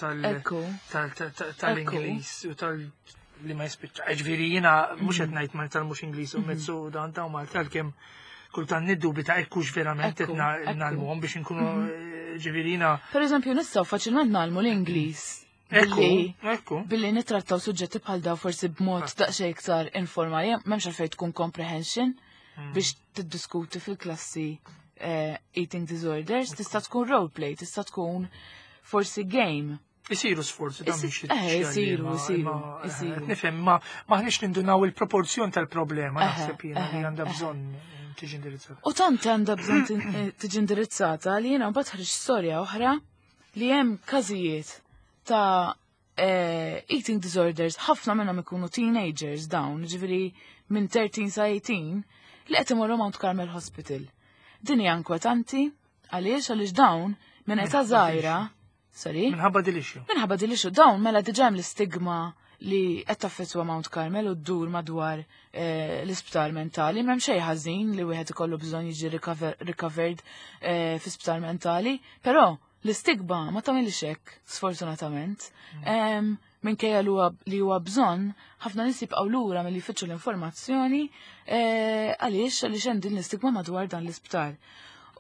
tal-Ingliż u tal li ma jispiċċa. Ġifieri jiena mhux qed ngħid ma tal-mhux Ingliż u mezzu dan ta' Malta għalkemm kultant niddubita ekkux verament qed ngħallmuhom biex inkunu mhm. ġifieri jiena. Per eżempju, nistgħu faċilment ngħallmu l-Ingliż. Ekku, ekku. Billi nittrattaw suġġetti bħal daw forsi b'mod ah. daqsxejn iktar informali, m'hemmx għalfejn tkun comprehension mm. biex tiddiskuti fil-klassi eh, eating disorders, tista' tkun roleplay, tista' tkun forsi game. Isiru sforzi dan biex Eh, isiru, isiru, isiru. Nifhem, ma maħniex nindunaw il-proporzjon tal-problema naħseb jiena li għandha bżonn tiġi indirizzata. U tant għandha bżonn eh, tiġi indirizzata li jiena mbagħad ħriġ storja oħra li hemm każijiet ta' eh, eating disorders, ħafna minnhom ikunu teenagers dawn, ġifieri minn tlettax sa tmintax, li qed imorru Mount Carmel Hospital. Din hija inkwetanti għaliex għaliex dawn minn età żgħira, sorry? Minħabba dil-issue. Minħabba dil-issue dawn mela diġà hemm l-istigma li qed taffettwa Mount Carmel u ddur madwar eh, l-isptar mentali. M'hemm xejn ħażin li wieħed ikollu bżonn jiġi recovered eh, fi sptar mentali, però l-istigma ma tagħmilx hekk, sfortunatament. Mm. Minkejja li huwa bżonn, ħafna nies jibqgħu lura milli jfittxu l-informazzjoni eh, għaliex għaliex hemm din l-istigma madwar dan l-isptar.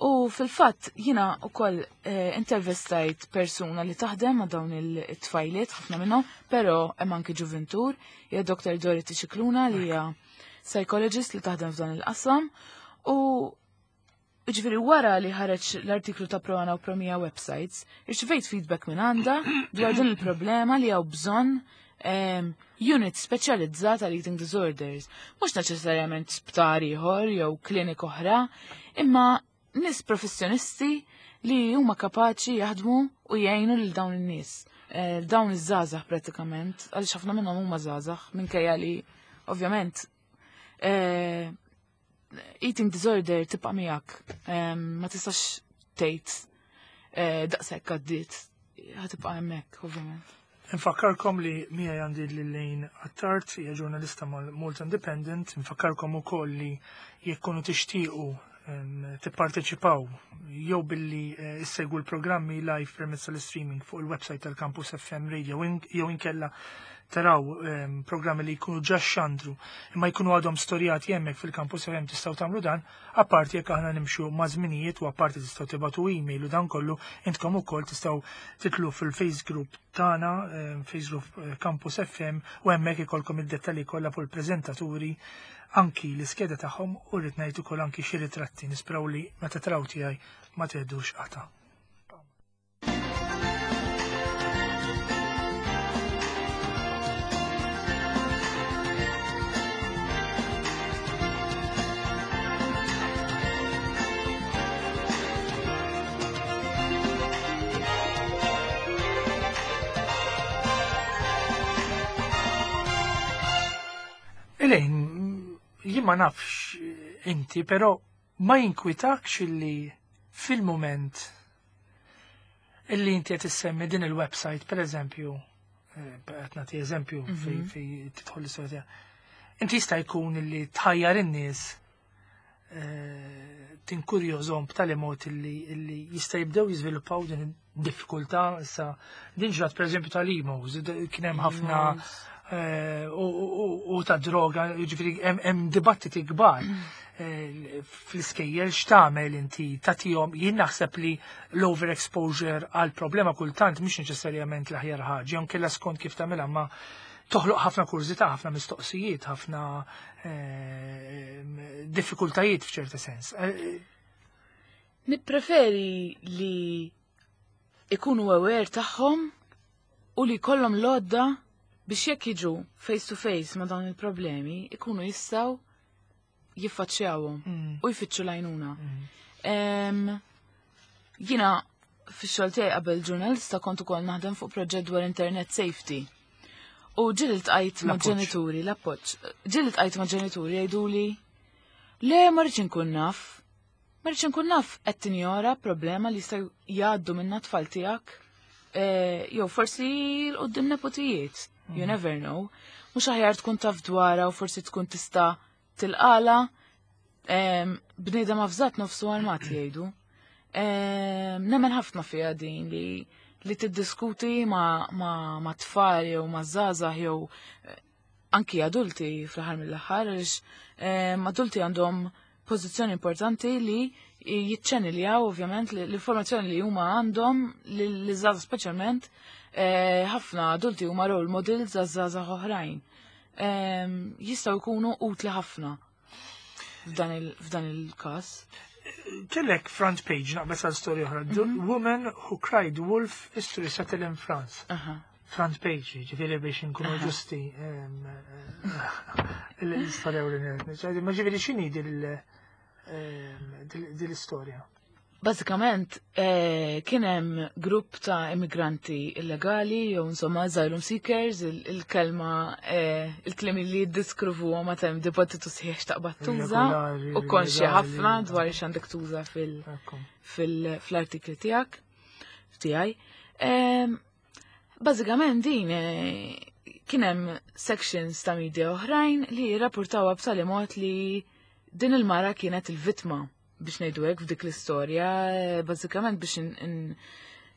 U fil-fatt jiena ukoll eh, intervistajt persuna li taħdem ma' dawn il-tfajliet, ħafna minnhom, però hemm anki ġuventur, hija Doktor Dorothy Scicluna li hija psychologist li taħdem f'dan il-qasam. U ġifieri wara li ħareġ l-artiklu ta' Pro One u Pro mija websites, irċivejt feedback minn għandha dwar din il-problema li hawn bżonn um, unit speċjalizzata għal eating disorders. Mhux neċessarjament sptar ieħor jew klinik oħra, imma nies professjonisti li huma kapaċi jaħdmu u jgħinu lil dawn in-nies. Eh, dawn iż-żgħażagħ pratikament, għaliex ħafna minnhom huma żgħażagħ minkejja li ovvjament eh, eating disorder tibqa' miegħek. Ma tistax tgħid eh, daqshekk għaddiet, ħa tibqa' hemmhekk ovvjament. Nfakkarkom li miegħi għandi Elaine Attard, hija ġurnalista mal-Malta Independent. Nfakkarkom ukoll li jekk kunu tixtiequ tipparteċipaw jew billi eh, issegwu l-programmi live permezz tal-streaming fuq il-website tal-Campus F M Radio jew inkella taraw programmi li jkunu ġa xandru imma jkunu għadhom storjati hemmhekk fil-Campus F M, tistgħu tagħmlu dan, apparti jekk aħna nimxu ma' żminijiet u apparti tistgħu tibagħtu email u dan kollu intkom ukoll tistgħu titlu fil-Face Group tagħna, Face Group eh, Campus F M, u hemmhekk ikolkom id-dettalji kollha fuq il-preżentaturi, anki l-iskeda tagħhom u rrid ngħid ukoll anki xi ritratti nispraw li meta taraw tiegħi ma teħdux qata'. Elaine, jien ma nafx inti, però Ma jinkwitakx illi fil-moment illi inti qed issemmi din il-website, per eżempju, eh, qed nagħti eżempju fej fej tidħol l-istorja tiegħek. Inti jista' jkun illi tħajjar in-nies eh, tinkurjożhom b'tali mod illi illi jista' jibdew jiżviluppaw din id-diffikultà. Issa din ġrat, pereżempju, tal-emos, kien hemm ħafna eh, u- u u ta' droga, jiġifieri hemm hemm dibattiti kbar eh, fl-iskejjel x'tagħmel inti tagħtihom. Jien naħseb li l-overexposure għal problema kultant mhix neċessarjament l-aħjar ħaġa, jew kella skont kif tagħmilha, ma toħloq ħafna kurżità, ħafna mistoqsijiet, ħafna eh, diffikultajiet f'ċerta sens. Eh, Nippreferi li ikunu aware tagħhom u li jkollhom l-għodda biex jekk jiġu face to face ma' dawn il-problemi, ikunu jistgħu jiffaċċjawhom mm, u jfittxu l-għajnuna. mm, Em, Jiena fix-xogħol tiegħi qabel ġurnalista kont ukoll naħdem fuq proġett dwar internet safety. U ġieli ltqajt ma' L-appoġġ. ġenituri, l-appoġġ. Ġieli ltqajt ma' ġenituri jgħiduli: "Le, ma rridx inkun naf. Ma rridx inkun naf." Qed tinjora problema li jistgħu jgħaddu minnha tfal tiegħek. Eh, Jew forsi 'l quddiem nepotijiet. You never know. Mhux aħjar tkun taf dwarha u forsi tkun tista' tilqala? Em, Bniedem avżat nofsu armat, jgħidu. Em, Nemmen ħafna fiha din li li tiddiskuti ma, ma, ma tfal jew ma żgħażagħ jew eh, anki adulti fl-aħħar mill-aħħar, għaliex em, adulti għandhom pożizzjoni importanti li jiċċeniljaw ovvjament li- l-informazzjoni li huma għandhom li żgħażagħ speċjalment. eh, ħafna adulti huma role models għaż-żgħażagħ oħrajn. Em, Jistgħu jkunu utli ħafna f'dan il- f'dan il-każ. Kellek front page, naqbes għal storja oħra. The Woman who cried wolf is to resettle in France. Aha. Front page, ġifieri biex nkunu ġusti, em, eh, l-istorja u l. Ma ġifieri x'inhi dil-istorja? Bażikament, eh, kien hemm grupp ta' immigranti illegali, jew insomma asylum seekers, il- il-kelma, eh, il-kliem li jiddeskrivu ma hemm dibattitu sħiħ taqbad tuża Irregolari, u konxja illegali. ħafna dwar x'għandek tuża fil- Ekku. fil- fl-artikli tiegħek tiegħi. Em, Bażikament din eh, kien hemm sections ta' media oħrajn li jirrapportawha b'tali mod li din il-mara kienet il-vittma, biex ngħidu hekk, f'dik l-istorja, eh, bażikament biex in- in-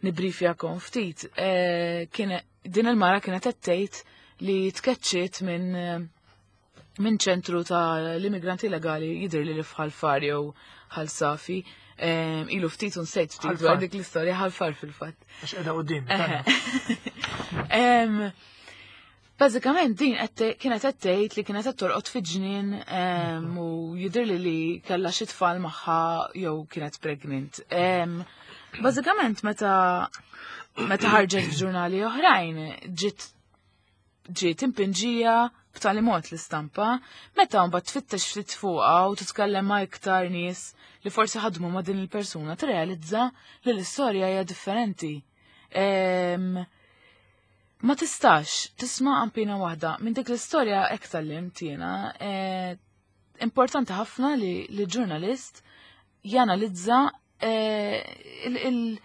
nibrifjakom ftit. eh, kien din il-mara kienet qed tgħid li tkeċċiet minn eh, minn ċentru ta' l-immigranti illegali, jidher li li f'Ħal Far jew Ħal Safi. Em, Ilu ftit u nsejt ftit Ħal dwar Far. dik l-istorja. Ħal Far fil-fatt. Għax qiegħda quddiem. Em, Bażikament din qed te- kienet qed tgħid li kienet qed torqod fi ġnien em, u jidher li li kellha xi tfal magħha jew kienet pregnant. Em, Bażikament meta meta ħarġet f'ġurnali oħrajn ġiet ġiet impinġija b'tali mod l-istampa, meta mbagħad tfittex ftit fuqha u titkellem ma' iktar nies li forsi ħadmu ma' din il-persuna, tirrealizza li l-istorja hija differenti. Em, Ma tistax tisma' qampina waħda minn dik l-istorja. Hekk tgħallimt jiena. eh, Importanti ħafna li li ġurnalist janalizza eh, il- il-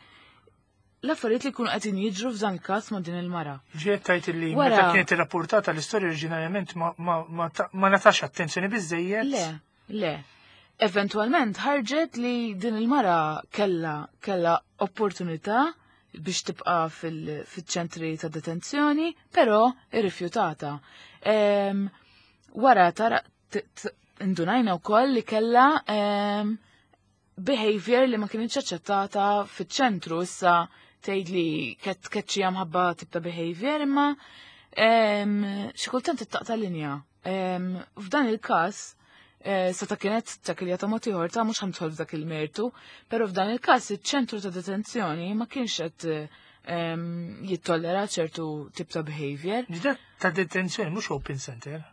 l-affarijiet li jkunu qegħdin jiġru, f'dan il-każ ma' din il-mara. Ġiet tajt li Wara- meta kienet irrapportata l-istorja oriġinarjament ma- ma- ma ta- ma natax attenzjoni biżejjed. Le, le. Eventualment ħarġet li din il-mara kella kella opportunità biex tibqa fil- fil-ċentri ta' detenzjoni, però irrifjutata. Em, Wara tara t- t- indunajna wkoll li kella em, behavior li ma kienx aċċettata fiċ-ċentru. Issa tgħid li ket keċċija mħabba tip ta' behavior, imma em, xi kultant ittaqta' linja. Em, F'dan il-każ eh, seta kienet takilja ta' mod ieħor, ta' mhux ħa nidħol f'dak il-mertu, però f'dan il-każ iċ-ċentru ta' detenzjoni ma kienx qed em, jittollera ċertu tip ta' behavior. Ġiet ta' detenzjoni, mhux open center.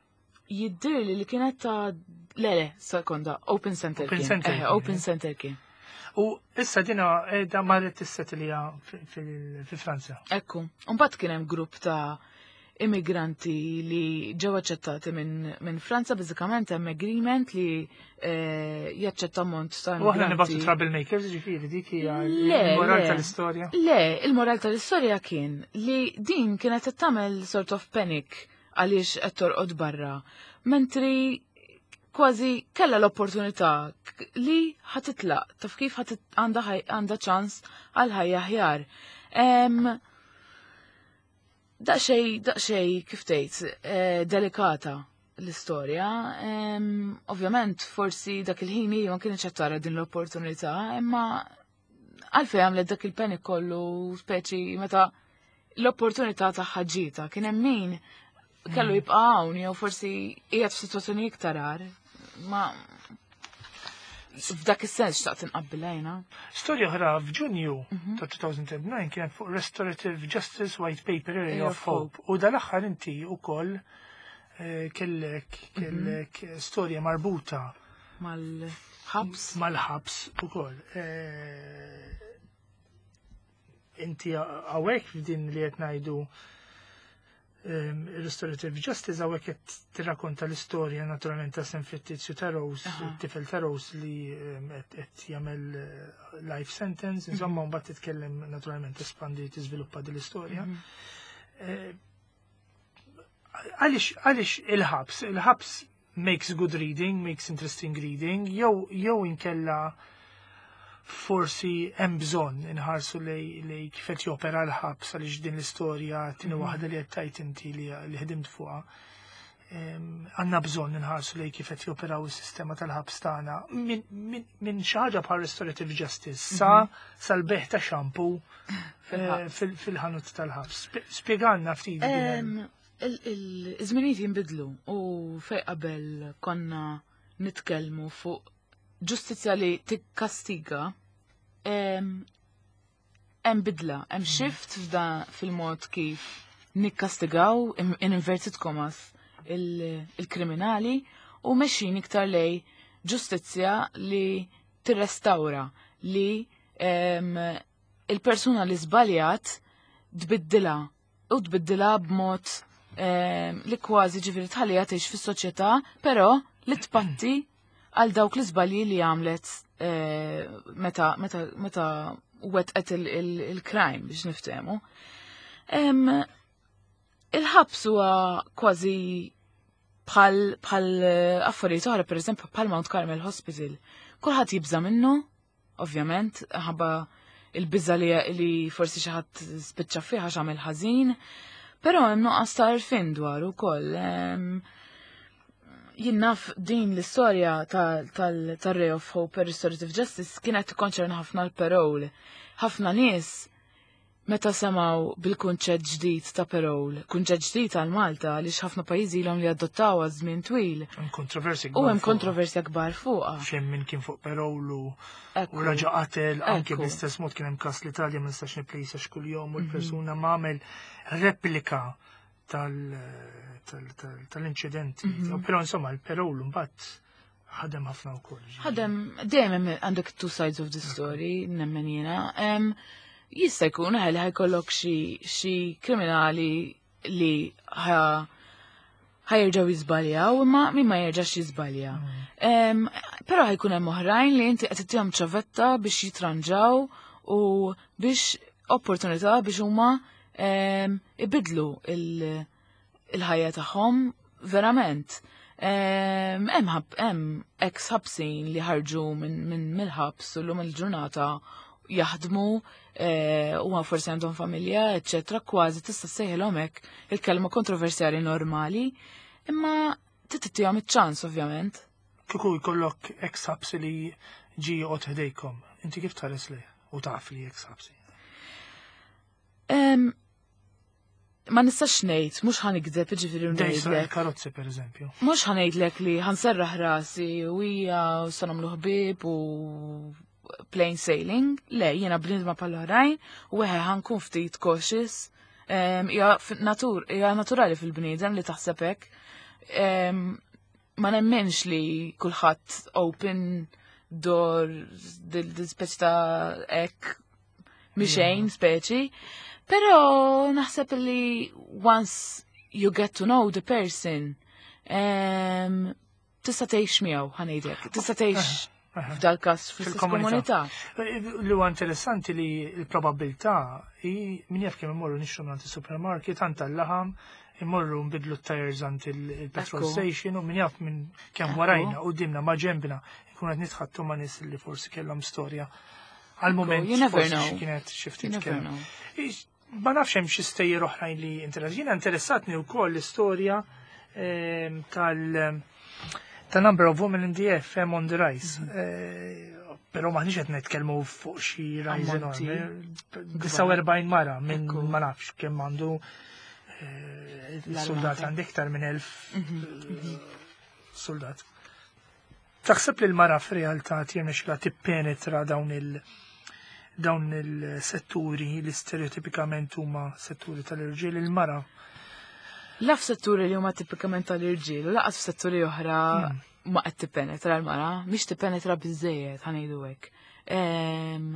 Jiddir li kienet ta' le le, sekonda, open center Open kien. center Eh, kien, open eh. center kien. U issa dina da marret tissettilja fi Franza. Ekku, mbagħad kien hemm grupp ta' immigranti li ġew aċċettati minn min Franza, bażikament hemm agreement li eh, jaċċetta ammont ta' U aħna nibagħtu immigranti. troublemakers, ġifieri dik hija Le, il-moral le. tal-istorja. Le, il-moral tal-istorja kien li din kienet qed tagħmel sort of panic għaliex qed torqod barra. Mentri kważi kella l-opportunità k- li ħa titlaq, taf kif ħa tit- għandha ħaj- għandha ċans għal ħajja aħjar. Em, Daqxej, daqxej, kif tgħid, eh, delikata l-istorja. Em, Ovvjament, forsi dak il-ħin hi ma kienx qed tara din l-opportunità, imma għalfejn għamlet dak il-panic kollu, speċi meta l-opportunità tagħha ġietha, kien hemm min kellu jibqa' hawn jew forsi qiegħed f'sitwazzjoni iktar agħar. Ma f'dak is-sens xtaqt inqabbilha jiena. Storja oħra f'Ġunju Mhm. ta' elfejn u disa' kienet fuq Restorative Justice White Paper Area Area of of Hope. U dal-aħħar inti ukoll eh, kellek kellek storja marbuta Mal-ħabs. mal-ħabs ukoll. Eh, Inti hawnhekk f'din li qed ngħidu um, Restorative Justice, hawnhekk qed tirrakkonta l-istorja naturalment ta' sen fittizju ta' Rose, Aha. it-tifel ta' Rose li um, qed qed jagħmel eh, life sentence, insomma, mbagħad titkellem, naturalment tespandi, tiżviluppa din l-istorja. Eh, Għaliex għaliex il-ħabs? Il-ħabs makes good reading, makes interesting reading, jew jew inkella forsi hemm bżonn inħarsu lej lej kif qed jopera l-ħabs, għaliex din l-istorja tieni waħda li qed tajt inti li li ħdimt fuqha. Em, Għandna bżonn inħarsu lej kif qed joperaw is-sistema tal-ħabs tagħna min, min, min xi ħaġa bħal restorative justice sa sal-bejgħ ta' shampoo eh, fil- fil-ħanut tal-ħabs. Sp- Spjegalna ftit din. Em, il- il- Iż-żminijiet jinbidlu u fej qabel konna nitkellmu fuq ġustizzja li tikkastiga, em, hemm bidla, hemm shift f'da fil-mod kif nikkastigaw in in inverted commas il- il-kriminali u mexjin iktar lej ġustizzja li tirrestawra, li em, il-persuna li żbaljat tbiddilha u tbiddilha b'mod em, li kważi, ġifieri, tħallija tgħix fis-soċjetà, però li tpatti għal dawk l-iżbalji li għamlet eh, meta meta meta wetqet il-crime, biex niftehmu. Em, Il-ħabs huwa kważi bħal bħal eh, affarijiet oħra, pereżempju bħal Mount Carmel Hospital. Kulħadd jibża minnu, ovvjament, ħabba il-biża li, li forsi xi ħadd spiċċa fih għax għamel ħażin, però hemm nuqqas ta' għarfien dwar ukoll. Em, Jien naf din l-istorja tal-Ray of Hope Restorative Justice kienet tikkonċerna ħafna l-parole. Ħafna nies meta semaw bil-kunċett ġdid ta' parole, kunċett ġdid għal Malta, għaliex ħafna pajjiżi ilhom li adottaw għal żmien twil. Hemm kontroversji U kbar hemm fuqha. kontroversja kbar fuqha. Xejn min kien fuq parole u Ekku. u raġa qatel, anke Ekku. bl-istess mod kien hemm każ l-Italja, ma nistax nipplejsa x'kuljum, u l-persuna ma għamel replika tal- tal- tal- tal-inċidenti. Però insomma il-parole mbagħad ħadem ħafna wkoll. Ħadem, dejjem hemm għandek two sides of the story, nemmen jiena. Em, Jista' jkun li ħa jkollok xi xi kriminali li ħa ħa jerġgħu jiżbaljaw, imma min ma jerġax jiżbalja. Em, Però ħa jkun hemm oħrajn li inti qed ittihom ċavetta biex jitranġaw u biex opportunità biex huma em, ibidlu il- il-ħajja tagħhom verament. Em, Hemm ħab hemm ex ħabsin li ħarġu minn min mill-ħabs u llum il-ġurnata jaħdmu eh, u forsi għandhom familja, eċċetera, kważi tista' ssejħilhom hekk il-kelma kontroversjali normali, imma trid iċ-ċans, ovvjament. Kieku jkollok ex ħabsi li ġi joqgħod ħdejkom, inti kif tħares li u taf li ex ħabsi? Em, Ma nistax ngħid, mhux ħa nigdeb, jiġifieri, Dejsa ngħidlek. karozzi, per eżempju. Mhux ħa ngħidlek li ħa nserraħ rasi u hija u sa nagħmlu ħbieb u plain sailing. Le, jiena bniedma bħal oħrajn u weħe ħa nkun ftit cautious. Em, Hija fi- natur, hija naturali fil-bniedem li taħseb hekk. Em, Ma nemmenx li kulħadd open door dil speċi ta' hekk mixejn speċi. Però naħseb li once you get to know the person. Em, Tista' tgħix miegħu, ħa ngħidlek. Tista' tgħix f'dal każ fl-istess Fil-komunità. komunità. Li huwa interessanti li l-probabilità hi min jaf kemm immorru nixtru minn supermarket għand tal-laħam, immorru nbidlu t-tires għand il-petrol Ekku. station u min jaf minn kemm Ekku. warajna u dimna ma ġembna ikun qed nitħattu ma' nies li forsi kellhom storja għal-moment You never forsi know. xi kienet xi You ftit never kemm. know. Ix- Ma nafx hemm xi stejjer oħrajn li interess. Jiena interessatni wkoll l-istorja ehm, tal ta' number of women in the F M on the rise. Eh, Però maħniex qed nitkellmu fuq xi rise Ammonti. enormi. disgħa u erbgħin mara minn Ekku. ma nafx kemm għandu eh, il-soldat L-armata. għandi iktar minn elf eh, soldat. Taħseb li l-mara f'realtà tirnexxila tippenetra dawn il- dawn il-setturi li stereotipikament huma setturi tal-irġiel, il-mara? La f'setturi li huma tipikament tal-irġiel, u lanqas f'setturi oħra ma qed tippenetra l-mara, mhix tippenetra biżejjed, ħa ngħidu hekk. Em,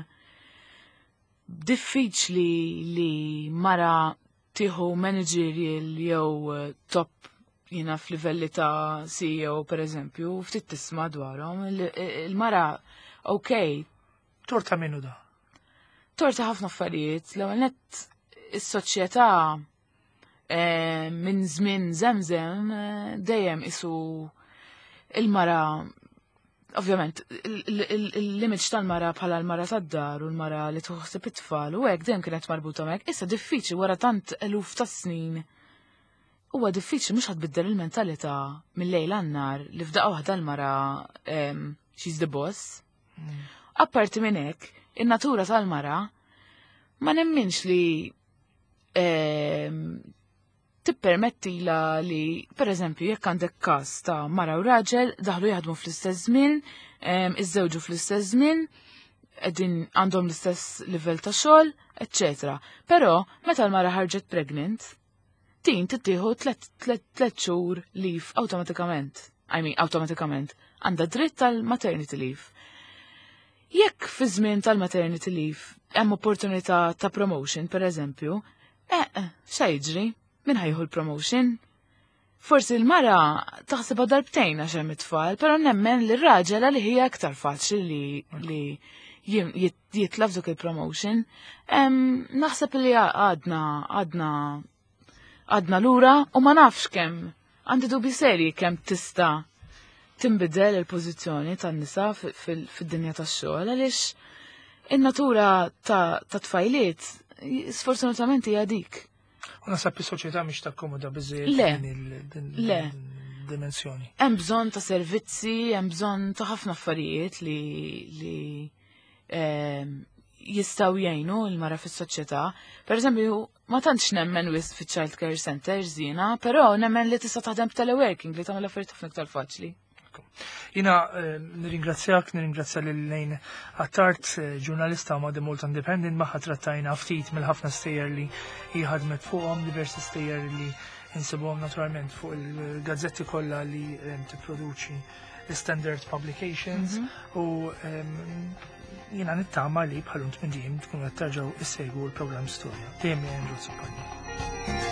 Diffiċli li mara tieħu managerial jew eh, top jina f'livelli ta' C E O per eżempju, ftit tisma' dwarhom. Il- Il-mara, ok, Torta minnu da. Torta ħafna affarijiet. L-ewwel nett is-soċjetà eh, minn żmien żemżem eh, dejjem isu il-mara, ovvjament l-image tal-mara bħala l-mara tad-dar u l-mara li tuħseb it-tfal u hekk dejjem kienet marbuta hekk. Issa diffiċli wara tant eluf ta' snin, huwa diffiċli, mhux ħa tbiddel il-mentalità mill-lejl għan-nhar li f'daqqa waħda l-mara em, she's the boss. Apparti minn hekk, in-natura tal-mara ma nemminx li em, tippermettila li, per eżempju, jekk għandek każ ta' mara u raġel, daħlu jaħdmu fl-istess żmien, em, iżżewġu fl-istess żmien, qegħdin għandhom l-istess livell ta' xogħol, eċċetera. Però meta l-mara ħarġet pregnant, din tittieħu tlet tlet tlet xhur leave awtomatikament. I mean, awtomatikament. Għandha dritt tal-maternity leave. Jekk fi żmien tal-maternity leave hemm opportunità ta' promotion, per eżempju, eh, eh, xa jiġri? Min ħa jieħu l-promotion? Forsi l-mara taħsibha darbtejn għax hemm it-tfal, però nemmen li r-raġel li hija aktar faċli li li jim- jit- jitla f'duk il-promotion. Em, Naħseb li għadna għadna għadna lura u ma nafx kemm għandi dubi seri kemm tista' tinbidel il-pożizzjoni tan-nisa fi- fil- fid-dinja tax-xogħol, għaliex in-natura ta' ta' tfajliet sfortunatament hija dik. U naħseb is-soċjetà mhix takkomoda biżejjed Le. din il- din Le. din dimensjoni. Hemm bżonn ta' servizzi, hemm bżonn ta' ħafna affarijiet li li ehm, jistgħu jgħinu l-mara fis-soċjetà. Per eżempju, ma tantx nemmen wisq fi child care centers jiena, però nemmen li tista' taħdem teleworking li tagħmel affarijiet ħafna iktar faċli. Jiena eh, nirringrazzjak, nirringrazzja lil Lane Attard, eh, ġurnalista ma' The Malta Independent, magħha trattajna ftit mill-ħafna stejjer li hi ħadmet fuqhom, diversi stejjer li insibuhom naturalment fuq il-gazzetti kollha li eh, tipproduċi Standard Publications u em, jiena nittama li bħal minn dejjem tkunu qed terġgħu issegwu l-programm Storja. Dejjem Andrew Azzopardi.